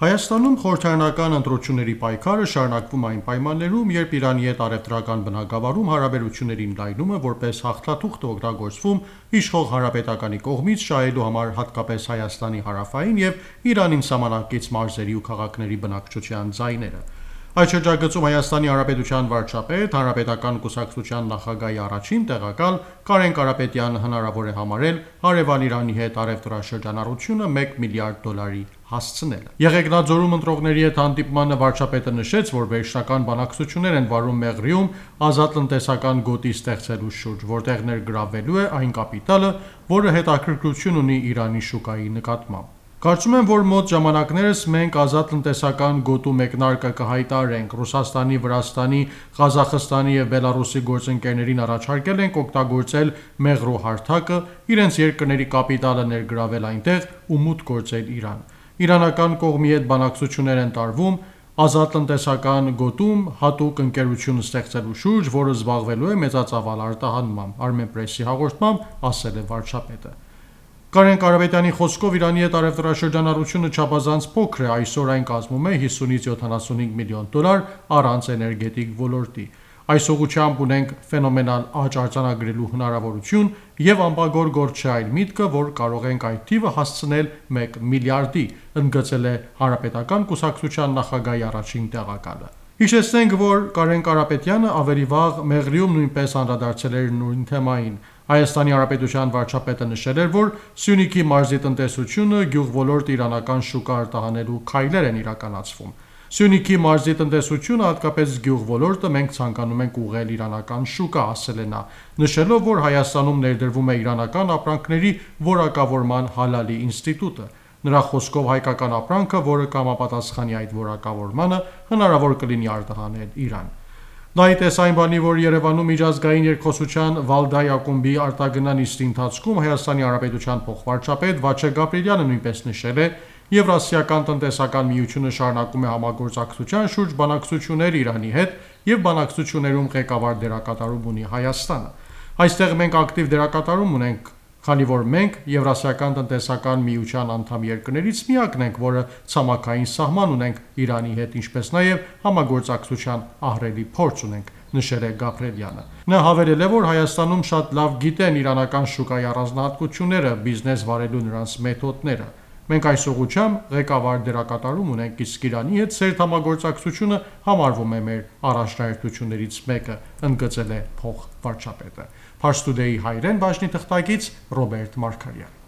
Հայաստանում խորհրդարանական ընտրությունների պայքարը շարունակվում այն պայմաններում, երբ Իրանի հետ առևտրական բնագավառում հարաբերությունների ընդլայնումը որպես հաղթաթուղթ է օգտագործվում իշխող հանրապետականի կողմից շահելու համար հատկապես Հայաստանի հարավային և Իրանին սահմանակից մարզերի ու քաղաքների բնակչության ձայները։ Այդ շրջագծում Հայաստանի Հանրապետության վարչապետ, Հանրապետական կուսակցության նախագահի առաջին տեղակալ Կարեն Կարապետյանը հնարավոր է համարել հարևան Իրանի հետ առևտրաշրջանառությունը $1 միլիարդ հասցնելը։ Եղեգնաձորում ընտրողների հետ հանդիպմանը վարչապետը նշեց, որ վերջնական բանակցություններ են վարում Մեղրիում ազատ տնտեսական գոտի ստեղծելու շուրջ, որտեղ ներգրավվելու է այն կապիտալը, որը հետաքրքրություն ունի Իրանի շուկայի նկատմամբ։ Կարծում եմ, որ մոտ ժամանակներս մենք ազատ տնտեսական գոտու մեկնարկը կհայտարարենք։ Ռուսաստանի, Վրաստանի, Ղազախստանի և Բելառուսի գործընկերներին առաջարկել ենք օգտագործել Մեղրու հարթակը, իրենց երկրների կապիտալը ներգրավել այնտեղ ու մուտք գործել Իրան։ Իրանական կողմի հետ բանակցություններ են տարվում ազատ տնտեսական գոտում հատուկ ընկերություն ստեղծելու շուրջ, որը զբաղվելու է մեծածավալ արտահանմամբ, Armenpress-ի հաղորդմամբ ասել է վարչապետը։ Կարեն Կարապետյանի խոսքով Իրանի հետ առևտրաշրջանառությունը չափազանց փոքր է, այսօր այն կազմում է $50-75 միլիոն առանց էներգետիկ ոլորտի։ Այս ուղղությամբ ունենք ֆենոմենալ աճ արձանագրելու հնարավորություն և անբագոր գործ չէ այն միտքը, որ կարող ենք այդ թիվը հասցնել $1 միլիարդի, ընդգծել է Հանրապետական կուսակցության նախագահի առաջին տեղակալը։ Հիշեցնենք, որ Կարեն Կարապետյանը ավելի վաղ Մեղրիում նույնպես անդրադարձել էր նույն թեմային։ Հայաստանի Հանրապետության վարչապետը նշել էր, որ Սյունիքի մարզի տնտեսությունը, գյուղոլորտը իրանական շուկա արտահանելու քայլեր են իրականացվում։ Սյունիքի մարզի տնտեսությունը, հատկապես գյուղոլորտը մենք ցանկանում ենք ուղղել իրանական շուկա, ասել է նա, նշելով, որ Հայաստանում ներդրվում է իրանական ապրանքների որակավորման հալալի ինստիտուտը։ Նրա խոսքով հայկական ապրանքը, որը կհամապատասխանի այդ որակավորմանը, հնարավոր կլինի արտահանել Իրան։ Նա ի տես այն բանի, որ Երևանում միջազգային երկխոսության Վալդայի ակումբի արտագնա նիստի ընթացքում Հայաստանի Հանրապետության փոխվարչապետ Վաչե Գաբրիելյանը նույնպես նշել է, Եվրասիական տնտեսական միությունը շարունակում է համագործակցության շուրջ բանակցություններ Իրանի հետ և բանակցություններում ղեկավար դերակատարում ունի Հայաստանը։ Այստեղ մենք ակտիվ դերակատարում ունենք, քանի որ մենք Եվրասիական տնտեսական միության անդամ երկրներից միակն ենք, որը ցամաքային սահման ունենք Իրանի հետ, ինչպես նաև համագործակցության ահռելի փորձ ունենք, նշել է Գաբրիելյանը։ Նա հավելել է, որ Հայաստանում շատ լավ գիտեն իրանական շուկայի առանձնահատկությունները, բիզնես վարելու նրանց մեթոդները։ Մենք այս ուղղությամբ ղեկավար դերակատարում ունենք, իսկ Իրանի հետ սերտ համագործակցությունը համարվում է մեր առաջնահերթություններից մեկը, ընդգծել է փոխվարչապետը։ Pars Today հայերեն բաժնի թղթակից Ռոբերտ Մարգարյան։